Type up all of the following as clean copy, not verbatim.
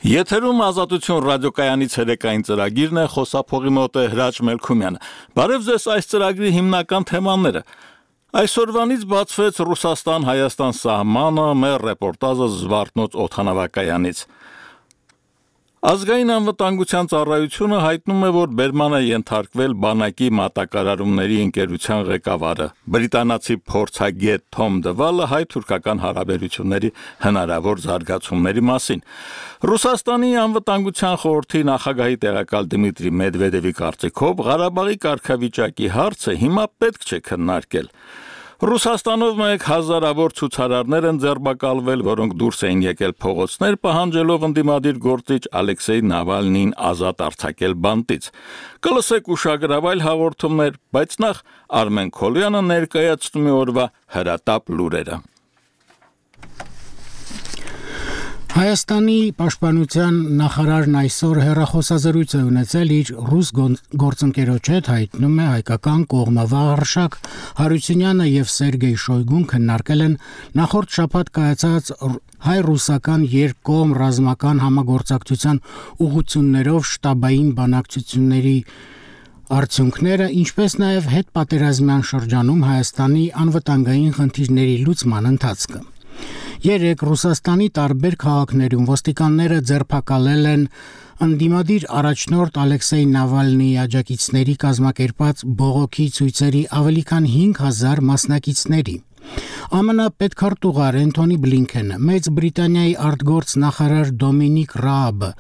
Եթերում ազատություն ռադիոկայանից հերեկային ծրագիրն է, խոսափողի մոտ է Հրաչ Մելքումյանը։ Բարև ձեզ, այս ծրագրի հիմնական թեմաները։ Այսօրվանից բացվեց Ռուսաստան-Հայաստան սահմանը, մեր ռեպորտաժը Զվարթնոց օդանավակայանից։ Ազգային անվտանգության ծառայությունը հայտնում է, որ բերման է ենթարկվել բանակի մատակարարումների ընկերության ղեկավարը, բրիտանացի փորձագետ Թոմ Դվալը հայ-թուրքական հարաբերությունների հնարավոր զարգացումների մասին։ Ռուսաստանի անվտանգության խորհրդի նախագահի տեղակալ Դմիտրի Մեդվեդևի կարծիքով Ղարաբաղի կարգավիճակի հարցը հիմա պետք չէ քննարկել։ Ռուսաստանով մեկ հազարավոր ցուցարարներ են ձերբակալվել, որոնք դուրս էին եկել փողոցներ, պահանջելով ընդդիմադիր գործիչ Ալեքսեյ Նավալնիին ազատ արձակել բանտից։ Կլսեք ուշագրավ հաղորդումներ, բայց նախ Արմեն Քոլյանը ներկայացնում է օրվա հրատապ լուրերը։ Հայաստանի պաշտպանության նախարարն այսօր հեռախոսազրույց է ունեցել իր ռուս գործընկերոջ հետ, հայտնում է հայկական կողմը Վաղարշակ Հարությունյանը եւ Սերգեյ Շոյգուն քննարկել են նախորդ շաբաթ կայացած հայ-ռուսական երկկողմ ռազմական համագործակցության ուղղություններով շտաբային բանակցությունների արդյունքները, ինչպես նաեւ հետպատերազմյան շրջանում Հայաստանի անվտանգային խնդիրների լուծման ընթացքը։ Երեք Ռուսաստանի տարբեր քաղաքներում ոստիկանները ձերբակալել են ընդդիմադիր առաջնորդ Ալեքսեյ Նավալնիի աջակիցների կազմակերպած բողոքի ցույցերի ավելի քան 5000 մասնակիցների։ ԱՄՆ պետքարտուղար Էնթոնի Բլինքենը, Մեծ Բրիտանիայի արտգործնախարար Դոմինիկ Ռաաբը,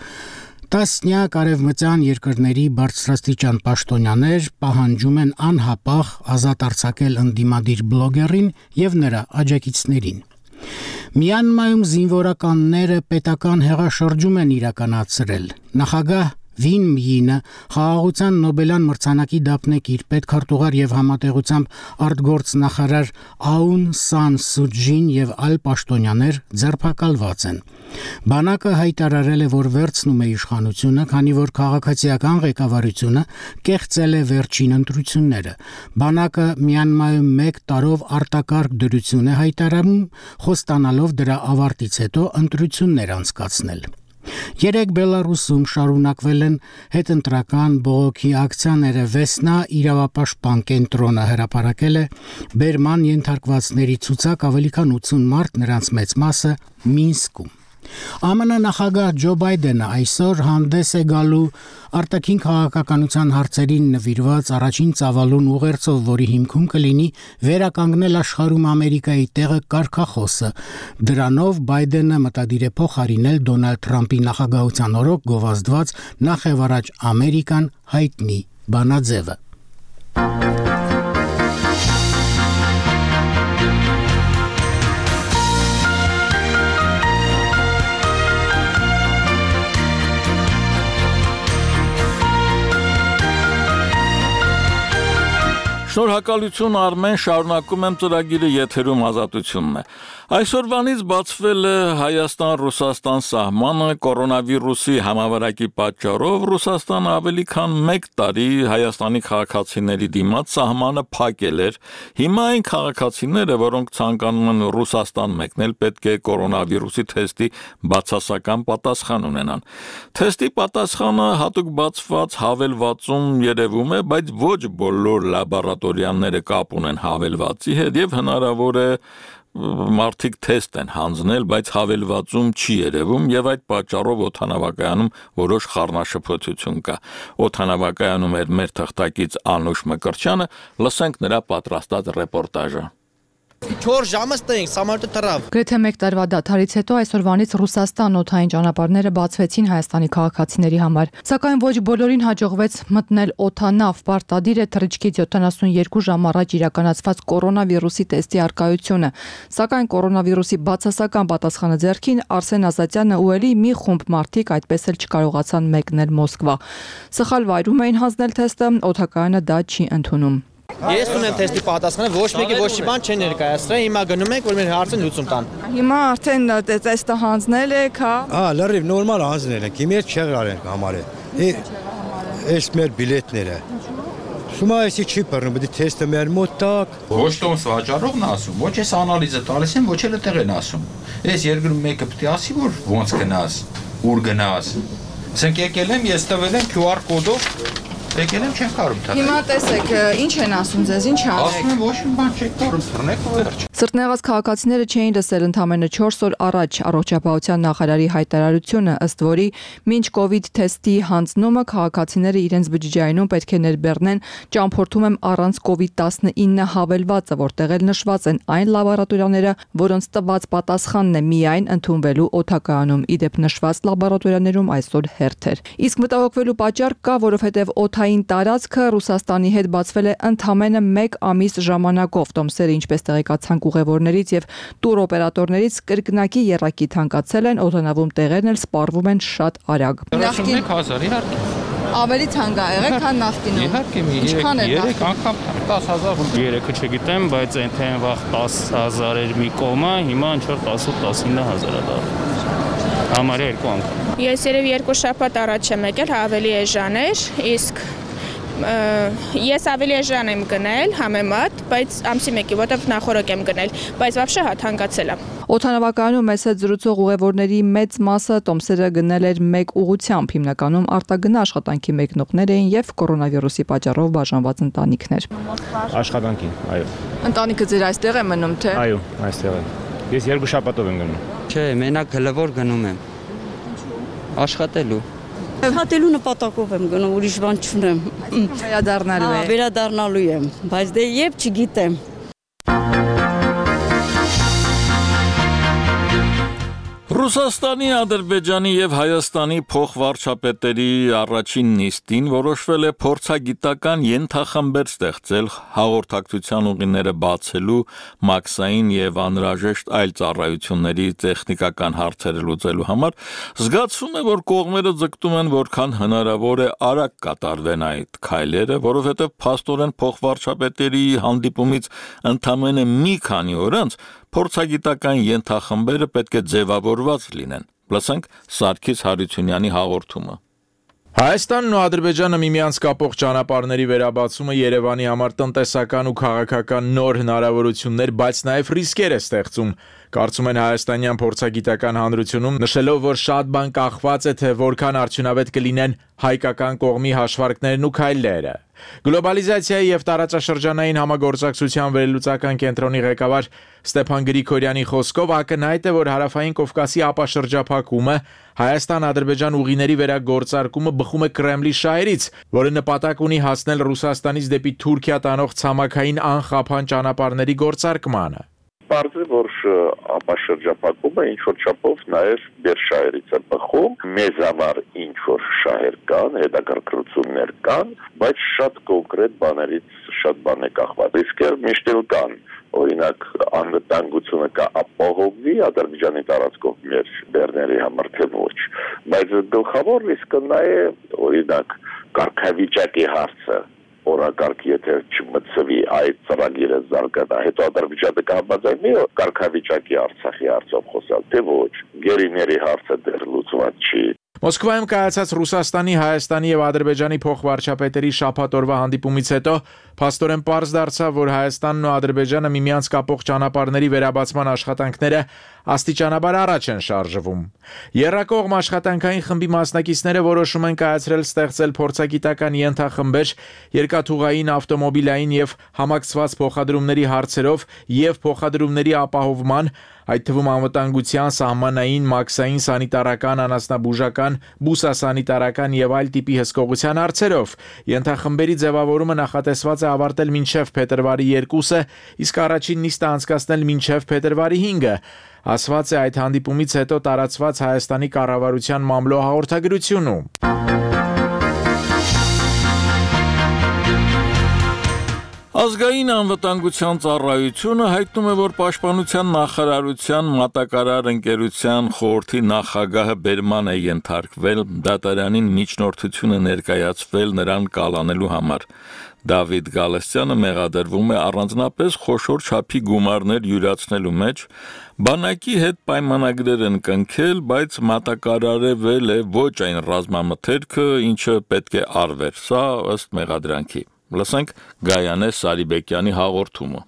տասնյակ արևմտյան երկրների բարձրաստիճան պաշտոնյաներ պահանջում են անհապաղ ազատ արձակել ընդդիմադիր բլոգերին եւ նրա աջակիցներին։ Մյանմայում զինվորականները պետական հեղաշրջում են իրականացրել։ Նախագահ Վին Մյինը խաղաղության Նոբելյան մրցանակի դափնեկիր պետքարտուղար եւ համատեղությամբ արտգործնախարար Աուն Սան Սուջին եւ այլ պաշտոնյաներ ձերբակալված են։ Բանակը հայտարարել է, որ վերցնում է իշխանությունը, քանի որ քաղաքացիական ղեկավարությունը կեղծել է վերջին ընտրությունները։ Բանակը Մյանմայում 1 տարով արտակարգ դրություն է հայտարարում, խոստանալով դրա ավարտից հետո ընտրություններ անցկացնել։ Երեք Բելարուսում շարունակվել են հետընտրական բողոքի ակցիաները։ Վեսնա իրավապաշտպան կենտրոնը հրապարակել է բերման ենթարկվածների ցուցակ, ավելի քան 80 մարդ, նրանց մեծ մասը Մինսկում։ ԱՄՆ նախագահ Ջո Բայդենը այսօր հանդես է գալու արտաքին քաղաքականության հարցերին նվիրված առաջին ծավալուն ուղերձով, որի հիմքում կլինի վերականգնել աշխարհում Ամերիկայի տեղը կարգախոսը։ Դրանով Բայդենը մտադիր է փոխարինել Դոնալդ Թրամփի նախագահության օրոք գովազդված նախևառաջ Ամերիկան հայտնի բանաձևը։ Շնորհակալություն Արմեն, շարունակում եմ ծրագիրը, եթերում ազատությունն է։ Այսօրվանից բացվել է Հայաստան-Ռուսաստան սահմանը կորոնավիրուսի համավարակի պատճառով Ռուսաստանը ավելի քան 1 տարի Հայաստանի քաղաքացիների դիմաց սահմանը փակել էր։ Հիմա այն քաղաքացիները, որոնք ցանկանում են Ռուսաստան մեկնել, պետք է կորոնավիրուսի թեստի բացասական պատասխան ունենան։ Թեստի պատասխանը հատուկ բացված հավելվածում երևում է, բայց ոչ բոլոր լաբորատորիաները կապ ունեն հավելվածի հետ եւ հնարավոր է մարդիկ թեստ են հանձնել, բայց հավելվածում չի երևում եւ այդ պատճառով օդանավակայանում որոշ խառնաշփոթություն կա։ Օդանավակայանում էր մեր թղթակից Անուշ Մկրտչյանը, լսենք նրա պատրաստած ռեպորտաժը։ 4 ժամը ստենք, սամարտը թռավ։ Գրեթե 1 տարվա դադարից հետո այսօրվանից Ռուսաստան օդային ճանապարհները բացվեցին Հայաստանի քաղաքացիների համար։ Սակայն ոչ բոլորին հաջողվեց մտնել օդանավ։ Պարտադիր է թռիչքից 72 ժամ առաջ իրականացված կորոնավիրուսի տեստի առկայությունը։ Սակայն կորոնավիրուսի բացասական պատասխանը ձեռքին Արսեն Ազատյանը ու էլի մի խումբ մարդիկ այդպես էլ չկարողացան մեկնել Մոսկվա։ Սխալ վայրում էին հանձնել թեստը, օդակայանը դա չի ընդունում։ Ես ունեմ թեստի պատասխանը, ոչ մեկի ոչ մի բան չեն ներկայացրել, հիմա գնում ենք, որ մեր հարցը լուծում տան։ Հիմա արդեն տեստը հանձնել եք, հա։ Լրիվ նորմալ հանձնել ենք, հիմա չեղրալ ենք համարել։ Այս մեր բիլետները։ Շումա էսի չի բռնում, բդի թեստը մեր մոտ տակ։ Ոչ տոմս վաճառողն ասում, ոչ էս անալիզը տալիս են, ոչ էլ տեղ են ասում։ Այս երկրում մեկը պետք է ասի, որ ոնց գնաս։ ուր գնաս։ Ասենք եկել եմ, ես տվել եմ QR կոդով եկել եմ չեմ կարող թռնել։ Հիմա տեսեք, ինչ են ասում ձեզ, ինչ անեք։ Ասում եմ ոչ մի բան չեք կարող թռնեք ու վերջ։ Սրտնեղած քաղաքացիները չէին լսել ընդամենը 4 օր առաջ առողջապահության նախարարի հայտարարությունը, ըստ որի մինչ կովիդ թեստի հանձնումը քաղաքացիները իրենց բջջայինում պետք է ներբեռնեն ճամփորդում եմ առանց COVID-19 հավելվածը, որտեղ էլ նշված են այն լաբորատորիաները, որոնց տված պատասխանն է միայն ընդունվելու օդակայանում։ Իդեպ նշված լաբորատորիաներում այսօր հերթ էր։ Իսկ մտահոգվելու պատճառ կա, որովհետև օդային տարածքը Ռուսաստանի հետ բացվել է ընդամենը 1 ամիս ժամանակով։ Տոմսերը, ինչպես տեղեկացանք ուղևորներից եւ տուրօպերատորներից, կրկնակի եռակի թանկացել են, օդանավում տեղերն էլ սպառվում են շատ արագ։ 31000 իհարկե։ Ավելի թանկ է եղել, քան նախկինում։ Իհարկե, 3 անգամ 10000 Երեքը չգիտեմ, բայց այնտեղ վաղ 10000 էր մի կոմա, հիմա ինչ որ 18-19000 է դառնում։ Համարյա 2 անգամ։ Ես երևի 2 շաբաթ առաջ եմ եկել, ավելի էժան էր, իսկ ես ավելի էժան եմ գնել համեմատ, բայց ամսի 1-ի, որտեղ նախորդ եմ գնել, բայց вообще թանկացել է։ Օդանավակայանում մեծ հետ զրուցող ուղևորների մեծ մասը տոմսերը գնել էր մեկ ուղղությամբ, հիմնականում արտագնա աշխատանքի մեկնողներ էին եւ կորոնավիրուսի պատճառով բաժանված ընտանիքներ։ Աշխատանքին, այո։ Ընտանիքը ձեր այստեղ է մնում, թե։ Այո, այստեղ է։ Ես 2 շաբաթով եմ գնում։ Չէ, մենակ հլվոր գնում եմ։ Աշխատելու։ Հատելու նպատակով եմ գնում, ուրիշ բան չունեմ։ Վերադառնալու է։ Վերադառնալու եմ, բայց դե երբ չգիտեմ։ Ռուսաստանի, Ադրբեջանի եւ Հայաստանի փոխվարչապետերի առաջին նիստին որոշվել է փորձագիտական ենթախմբեր ստեղծել հաղորդակցության ուղիները բացելու, մաքսային եւ անհրաժեշտ այլ ծառայությունների տեխնիկական հարցերը լուծելու համար, զգացվում է, որ կողմերը ձգտում են որքան հնարավոր է արագ կատարվեն այդ քայլերը, որովհետեւ փաստորեն փոխվարչապետերի հանդիպումից ընդամենը մի քանի օր անց փորձագիտական ենթախմբերը պետք է ձևավորված լինեն։ Լսենք Սարգիս Հարությունյանի հաղորդումը։ Հայաստանն ու Ադրբեջանը միմյանց կապող ճանապարհների վերաբացումը Երևանի համար տնտեսական ու քաղաքական նոր հնարավորություններ, բայց նաև ռիսկեր է ստեղծում։ Կարծում են հայաստանյան փորձագիտական հանրությունում, նշելով, որ շատ բան կախված է, թե որքան արդյունավետ կլինեն հայկական կողմի հաշվարկներն ու քայլերը։ Գլոբալիզացիայի եւ տարածաշրջանային համագործակցության վերլուծական կենտրոնի ղեկավար Ստեփան Գրիգորյանի խոսքով ակնհայտ է, որ հարավային Կովկասի ապաշրջափակումը Հայաստան-Ադրբեջան ուղիների վերագործարկումը բխում է Կրեմլի շահերից, որը նպատակ ունի հասնել Ռուսաստանից դեպի Թուրքիա տանող ցամաքային անխափան ճանապարհների գործարկմանը։ Պարզ է, որ ապաշրջափակումը ինչ-որ չափով նաև դեր շահերից է բխում, մեզ համար ինչ-որ շահեր կան, հետաքրքրություններ կան, բայց շատ կոնկրետ բաներից շատ բան է կախված։ Ռիսկեր միշտ էլ կան, օրինակ անվտանգությունը կապահովվի Ադրբեջանի տարածքով մեր բեռների համար թե ոչ, բայց գլխավոր ռիսկը նա է, օրինակ կարգավիճակի հարցը, օրակարգ եթե չմտցվի այդ ծրագիրը զարգանա, հետո Ադրբեջանը կհամաձայնի կարգավիճակի Արցախի հարցով խոսալ, թե ոչ, գերիների հարցը դեռ լուծված չի։ Մոսկվայում կայացած Ռուսաստանի, Հայաստանի եւ Ադրբեջանի փոխվարչապետերի շաբաթօրվա հանդիպումից հետո փաստորեն պարզ դարձավ, որ Հայաստանն ու Ադրբեջանը միմյանց կապող ճանապարհների վերաբացման աշխատանքները աստիճանաբար առաջ են շարժվում։ Եռակողմ աշխատանքային խմբի մասնակիցները որոշում են կայացրել ստեղծել փորձագիտական ենթախմբեր երկաթուղային, ավտոմոբիլային եւ համակցված փոխադրումների հարցերով եւ փոխադրումների ապահովման, այդ թվում անվտանգության, սահմանային, մաքսային, սանիտարական, անասնաբուժական, բուսասանիտարական եւ այլ տիպի հսկողության հարցերով։ Ենթախմբերի ձևավորումը նախատեսված է ավարտել մինչև փետրվարի 2-ը, իսկ առաջին նիստը անցկացնել մինչև փետրվարի 5-ը, ասված է այդ հանդիպումից հետո տարածված Հայաստանի կառավարության մամլո հաղորդագրությունում։ Ազգային անվտանգության ծառայությունը հայտնում է, որ Պաշտպանության նախարարության մատակարար ընկերության խորհրդի նախագահը բերման է ենթարկվել, դատարանին միջնորդություն է ներկայացվել նրան կալանելու համար։ Դավիթ Գալստյանը մեղադրվում է առանձնապես խոշոր չափի գումարներ յուրացնելու մեջ, բանակի հետ պայմանագրեր են կնքել, բայց մատակարարվել է ոչ այն ռազմամթերքը, ինչը պետք է արվեր, սա ըստ մեղադրանքի։ Լսենք Գայանե Սարիբեկյանի հաղորդումը։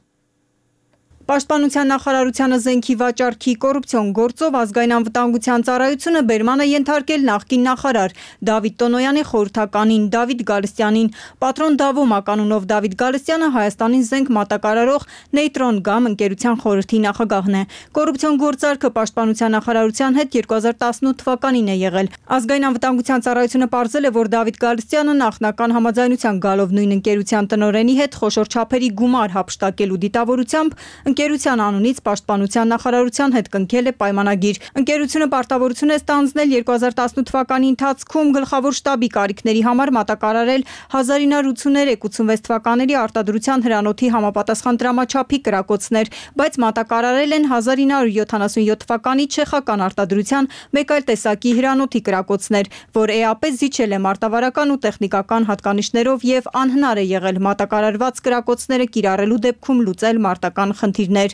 Պաշտպանության նախարարությանը զենքի վաճառքի կոռուպցիոն գործով ազգային անվտանգության ծառայությունը բերման է ենթարկել նախկին նախարար Դավիթ Տոնոյանի խորհրդականին Դավիթ Գալստյանին։ Պատրոն Դավոմ անունով Դավիթ Գալստյանը Հայաստանին զենք մատակարարող Նեյտրոն Գամ ընկերության խորհրդի նախագահն է։ Կոռուպցիոն գործարքը պաշտպանության նախարարության հետ 2018 թվականին է եղել։ Ազգային անվտանգության ծառայությունը պարզել է, որ Դավիթ Գալստյանը նախնական համաձայնության գալով նույն ընկերության տնօրենի հետ խոշոր չափերի գումար հափշտակելու դիտավորությամբ ընկերության անունից պաշտպանության նախարարության հետ կնքել է պայմանագիր։ Ընկերությունը պարտավորություն է ստանձնել 2018 թվականի ընթացքում գլխավոր շտաբի կարիքների համար մատակարարել 1983-86 թվականների արտադրության հրանոթի համապատասխան դրամաչափի կրակոցներ, բայց մատակարարել են 1977 թվականի չեխական արտադրության մեկ այլ տեսակի հրանոթի կրակոցներ, որ ԵԱՊ զիջել է մարտավարական ու տեխնիկական հատկանիշներով եւ անհնար է եղել մատակարարված կրակոցները կիրառելու դեպքում լուծել մարտական խնդիրներ։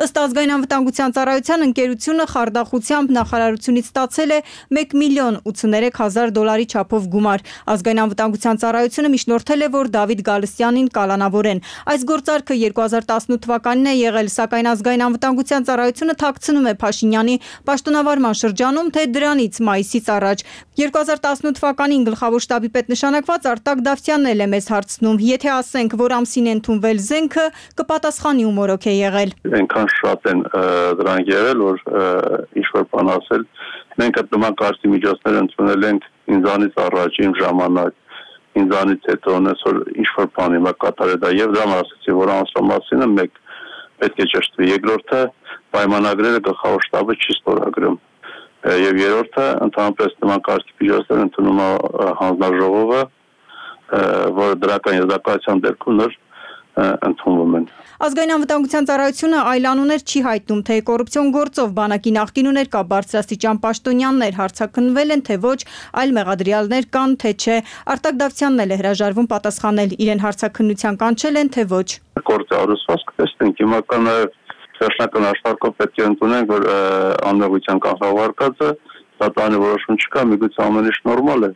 Ըստ ազգային անվտանգության ծառայության ընկերությունը խարդախությամբ նախարարությունից ստացել է $1,083,000 չափով գումար։ Ազգային անվտանգության ծառայությունը միջնորդել է, որ Դավիթ Գալստյանին կալանավորեն։ Այս գործարքը 2018 թվականին է եղել, սակայն ազգային անվտանգության ծառայությունը թաքցնում է Փաշինյանի պաշտոնավարման շրջանում, թե դրանից մայիսից առաջ։ 2018 թվականին գլխավոր շտաբի պետ նշանակված Արտակ Դավթյանն էլ է մեզ հարցնում, եթե ասենք, որ ամսին է ընդունվել զենքը, կպատասխանի ու մորոք է եղել։ Այնքան շատ են դրանք եղել, որ ինչ-որ բան ասել։ Մենք այդ նման կարծի միջոցներ ընդունել ենք ինձանից առաջ, իմ ժամանակ, ինձանից հետո, այսօր ինչ-որ բան հիմա կատարել դա եւ դրան ասացի, որ ամսվա մասինը մեկ պետք է ճշտվի։ Երկրորդը պայմանագրերը գլխավոր շտաբը չի ստորագրում։ Եվ երրորդը ընդհանրապես նման կարծի միջոցներ ընդունում է հանձնաժողովը, որ դրական եզրակացության դեպքում ընդունվում են։ Ազգային անվտանգության ծառայությունը այլ անուններ չի հայտնում, թե կոռուպցիոն գործով բանակի նախկին ու ներկա բարձրաստիճան պաշտոնյաներ հարցաքննվել են, թե ոչ, այլ մեղադրյալներ կան, թե չէ։ Արտակ Դավթյանն էլ է հրաժարվում պատասխանել, իրեն հարցաքննության կանչել են, թե ոչ։ Գործի առուսվածք տեսնենք, հիմա կա նաև Վերջնական աշխարհով պետք է ընդունենք, որ անմեղության կանխավարկածը դատարանի որոշում չկա, միգուցե ամեն ինչ նորմալ է։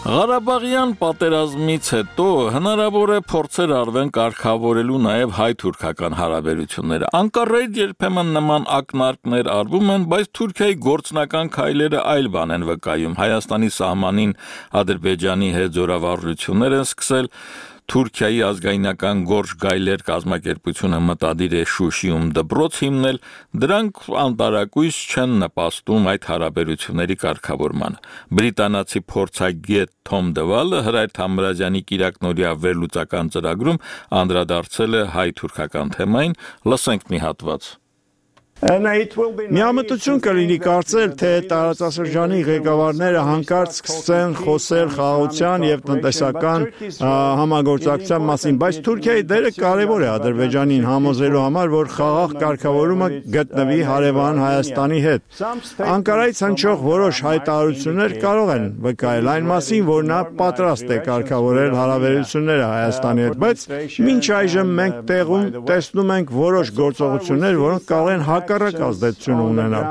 Ղարաբաղյան պատերազմից հետո հնարավոր է փորձեր արվեն կարգավորելու նաև հայ-թուրքական հարաբերությունները։ Անկարայից երբեմն նման ակնարկներ արվում են, բայց Թուրքիայի գործնական քայլերը այլ բան են վկայում։ Հայաստանի սահմանին Ադրբեջանի հետ զորավարժություններ են սկսել, Թուրքիայի ազգայնական Գորժ Գայլեր կազմակերպությունը մտադիր է Շուշիում դպրոց հիմնել, դրանք անտարակույս չեն նպաստում այդ հարաբերությունների կարգավորմանը։ Բրիտանացի փորձագետ Թոմ Դվալը Հրայր Թամրազյանի կիրակնօրյա վերլուծական ծրագրում անդրադարձել է հայ-թուրքական թեմային, լսենք մի հատված։ Միամտություն կլինի կարծել, թե տարածաշրջանի ղեկավարները հանկարծ սկսեն խոսել խաղաղության եւ տնտեսական համագործակցության մասին, բայց Թուրքիայի դերը կարեւոր է Ադրբեջանին համոզելու համար, որ խաղաղ կարգավորումը գտնվի հարևան Հայաստանի հետ։ Անկարայից հնչող որոշ հայտարարություններ կարող են վկայել այն մասին, որ նա պատրաստ է կարգավորել հարաբերությունները Հայաստանի հետ, բայց մինչ այժմ մենք տեղում տեսնում ենք որոշ գործողություններ, որոնք կարող են հակառակ ազդեցություն ունենալ։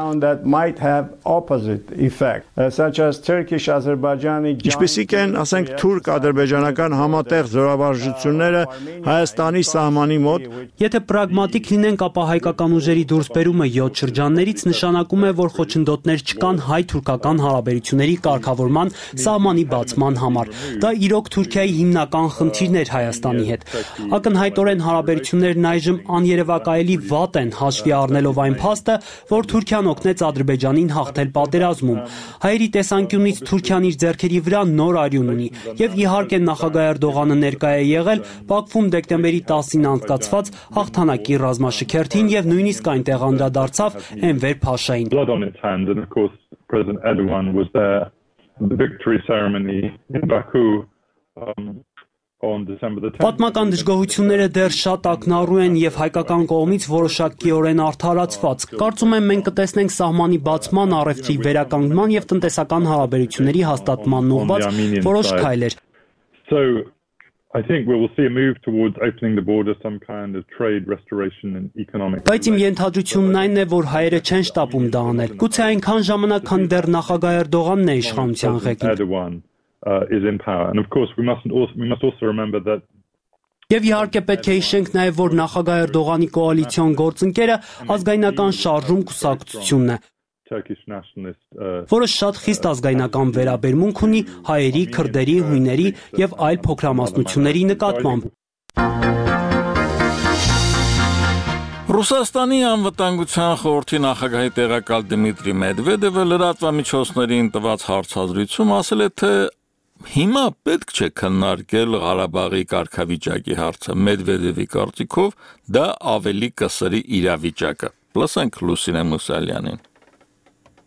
Ինչպիսիք են, ասենք, թուրք-ադրբեջանական համատեղ զորավարժությունները Հայաստանի սահմանի մոտ։ Եթե պրագմատիկ լինենք, ապա հայկական ուժերի դուրսբերումը 7 շրջաններից նշանակում է, որ խոչընդոտներ չկան հայ-թուրքական հարաբերությունների կարգավորման սահմանի բացման համար։ Դա իրոք Թուրքիայի հիմնական խնդիրն էր Հայաստանի հետ։ Ակնհայտորեն հարաբերություններն այժմ աներևակայելի վատ են, հաշվի առնելով այն փաստը, որ Թուրքիան օգնեց Ադրբեջանին հաղթել պատերազմում։ Հայերի տեսանկյունից Թուրքիան իր ձեռքերի վրա նոր արյուն ունի, եւ իհարկե նախագահ Էրդողանը ներկայ է եղել Բաքվում դեկտեմբերի 10-ին անցկացված հաղթանակի ռազմաշքերթին եւ նույնիսկ այնտեղ անդրադարձավ Էնվեր Փաշային։ Պատմական դժգոհությունները դեռ շատ ակնառու են եւ հայկական կողմից որոշակիորեն արդարացված։ Կարծում եմ մենք կտեսնենք սահմանի բացման, առևտրի վերականգնման եւ տնտեսական հարաբերությունների հաստատման ուղղված որոշ քայլեր։ I think we will see a move towards opening the border, some kind of trade restoration and economic. Բայց իմ ենթադրությունն այն է, որ հայերը չեն շտապում դա անել։ Գուցե այնքան ժամանակ, քան դեռ նախագահ Էրդողանն է իշխանության ղեկին։ is in power. And of course, we must also remember that. Եվ իհարկե պետք է հիշենք նաև, որ նախագահ Էրդողանի կոալիցիոն գործընկերը ազգայնական շարժում կուսակցությունն է, որը շատ խիստ ազգայնական վերաբերմունք ունի հայերի, քրդերի, հույների եւ այլ փոքրամասնությունների նկատմամբ։ Ռուսաստանի անվտանգության խորհրդի նախագահի տեղակալ Դմիտրի Մեդվեդևը լրատվամիջոցներին տված հարցազրույցում ասել է, թե հիմա պետք չէ քննարկել Ղարաբաղի կարգավիճակի հարցը։ Մեդվեդևի կարծիքով դա ավելի կսրի իրավիճակը։ Լսենք Լուսինե Մուսալյանին։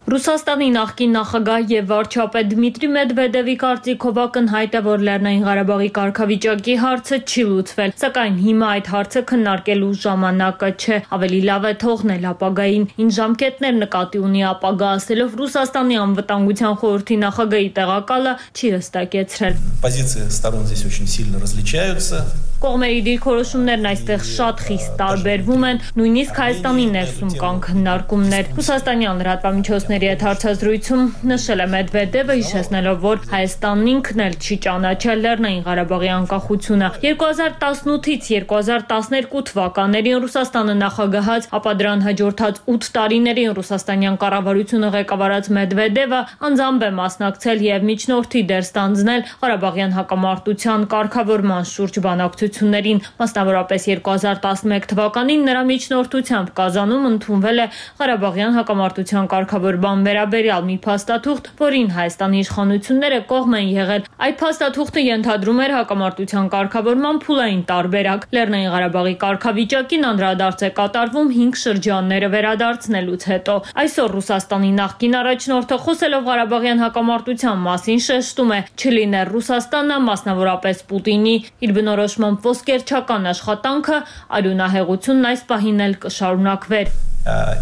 Ռուսաստանի նախկին նախագահ եւ վարչապետ Դմիտրի Մեդվեդևի կարծիքով ակնհայտ է, որ Լեռնային Ղարաբաղի կարգավիճակի հարցը չի լուծվել, սակայն հիմա այդ հարցը քննարկելու ժամանակը չէ, ավելի լավ է թողնել ապագային։ Ինչ ժամկետներ նկատի ունի ապագա ասելով Ռուսաստանի անվտանգության խորհրդի նախագահի տեղակալը չի հստակեցրել։ Позиции сторон здесь очень сильно различаются. Կողմերի դիրքորոշումներն այստեղ շատ խիստ տարբերվում են, նույնիսկ Հայաստանի ներսում կան քննարկումներ։ Ռուսաստանյան լրատվամիջոցների հետ հարցազրույցում նշել է Մեդվեդևը, հիշեցնելով, որ Հայաստանն ինքն էլ չի ճանաչել Լեռնային Ղարաբաղի անկախությունը։ 2018-ից 2012 թվականներին Ռուսաստանը նախագահած, ապա դրան հաջորդած 8 տարիներին ռուսաստանյան կառավարությունը ղեկավարած Մեդվեդևը անձամբ է մասնակցել եւ միջնորդի դեր ստանձնել Ղարաբաղյան հակամարտության կարգավորման շուրջ բանակցություններին, մասնավորապես 2011 թվականին նրա միջնորդությամբ Կազանում ընդունվել է Ղարաբաղյան հակամարտության կարգավորման վերաբերյալ մի փաստաթուղթ, որին Հայաստանի իշխանությունները կողմ են եղել։ Այդ փաստաթուղթը ենթադրում էր հակամարտության կարգավորման փուլային տարբերակ։ Լեռնային Ղարաբաղի կարգավիճակին անդրադարձ է կատարվում 5 շրջանները վերադարձնելուց հետո։ Այսօր Ռուսաստանի նախկին առաջնորդը խոսելով Ղարաբաղյան հակամարտության մասին շեշտում է, չլիներ Ռուսաստանը, մասնավորապես Պուտինի իր բնորոշմամբ ոսկերչական աշխատանքը, արյունահեղությունն այս պահին էլ կշարունակվեր։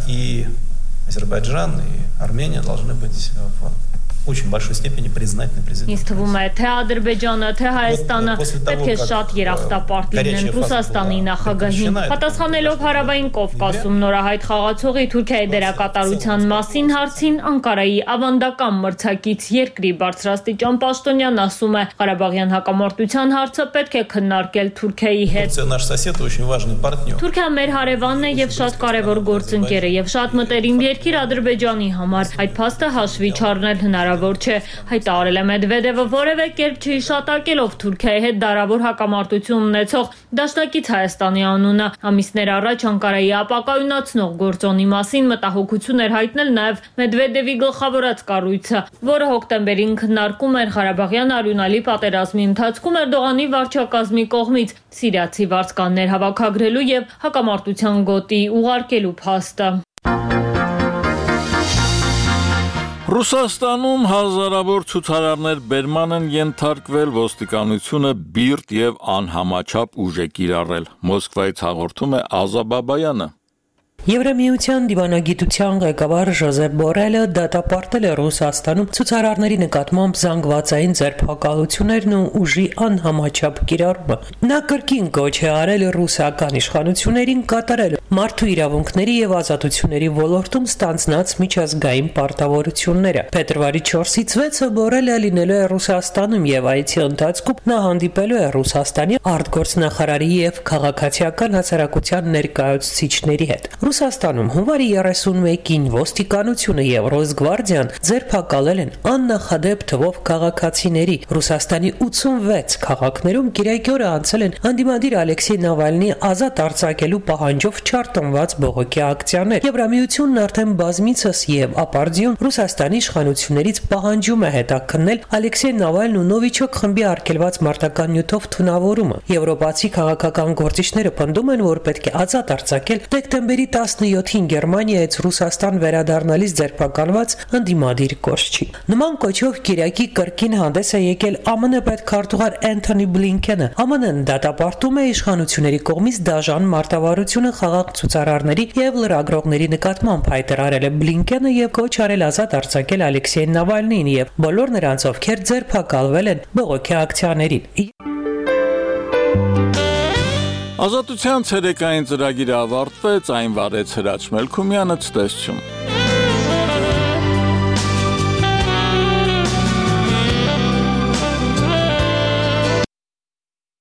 И Азербайджан, и Армения должны быть в очень большой степени признательны президенту. Ինձ թվում է, թե Ադրբեջանը, թե Հայաստանը պետք է շատ երախտապարտ լինեն Ռուսաստանի նախագահին։ Պատասխանելով Հարավային Կովկասում նորահայտ խաղացողի Թուրքիայի դերակատարության մասին հարցին, Անկարայի ավանդական մրցակից երկրի բարձրաստիճան պաշտոնյան ասում է, Ղարաբաղյան հակամարտության հարցը պետք է քննարկել Թուրքիայի հետ։ Наш сосед очень важный партнер. Թուրքիան մեր հարևանն է եւ շատ կարեւոր գործընկեր է եւ շատ մտերիմ երկիր Ադրբեջանի համար։ Այդ փաստը հաշվի չառնել հնարավոր չէ, հայտարարել է Մեդվեդևը որևէ կերպ չհիշատակելով Թուրքիայի հետ դարավոր հակամարտություն ունեցող դաշնակից Հայաստանի անունը։ Ամիսներ առաջ Անկարայի ապակայունացնող գործոնի մասին մտահոգություն էր հայտնել նաև Մեդվեդևի գլխավորած կառույցը, որը հոկտեմբերին քննարկում էր Ղարաբաղյան արյունալի պատերազմի ընթացքում Էրդողանի վարչակազմի կողմից սիրիացի վարձկաններ հավաքագրելու եւ հակամարտության գոտի ուղարկելու փաստը։ Ռուսաստանում հազարավոր ցուցարարներ բերման են ենթարկվել, ոստիկանությունը բիրտ եւ անհամաչափ ուժ է կիրառել։ Մոսկվայից հաղորդում է Ազա Բաբայանը։ Եվրամիության դիվանագիտության ղեկավար Ժոզեփ Բորելը դատապարտել է Ռուսաստանում ցուցարարների նկատմամբ զանգվածային ձերբակալություններն ու ուժի անհամաչափ կիրառումը։ Նա կրկին կոչ է արել ռուսական իշխանություններին կատարել մարդու իրավունքների եւ ազատությունների ոլորտում ստանձնած միջազգային պարտավորությունները։ Փետրվարի 4-ից 6-ը Բորելը լինելու է Ռուսաստանում եւ այցի ընթացքում նա հանդիպելու է Ռուսաստանի արտգործնախարարի եւ քաղաքացիական հասարակության ներկայացուցիչների հետ։ Ռուսաստանում հունվարի 31-ին ոստիկանությունը եւ Ռոսգվարդիան ձերբակալել են աննախադեպ թվով քաղաքացիների։ Ռուսաստանի 86 քաղաքներում գիրակյորը անցել են հանդիմադիր Ալեքսեյ Նավալնի ազատ արձակելու պահանջով չարտնված բողոքի ակցիաներ։ Եվրամիությունն արդեն բազմիցս եւ ապարդյուն Ռուսաստանի իշխանություններից պահանջում է հետաքննել Ալեքսեյ Նավալն ու Նովիչոկ խմբի արգելված մարտական նյութով թունավորումը։ Եվրոպացի քաղաքական գործիչները պնդում են, որ պետք է ազատ արձակել դեկտեմբերի 17-ին Գերմանիայից Ռուսաստան վերադառնալիս ձերբակալված ընդդիմադիր կորչի։ Նման կոչով Կիրակի կրկին հանդես է եկել ԱՄՆ պետքարտուղար Էնթոնի Բլինքենը։ ԱՄՆ-ն դատապարտում է իշխանությունների կողմից դաժան մարտավարությունը խաղաղ ցուցարարների եւ լրագրողների նկատմամբ, հայտարարել է Բլինքենը եւ կոչ արել ազատ արձակել Ալեքսեյ Նավալնին եւ բոլոր նրանց, ովքեր ձերբակալվել են բողոքի ակցիաներին։ Ազատության ցերեկային ծրագիրը ավարտվեց, այն վարեց Հրաչ Մելքումյանը, ցտեսություն։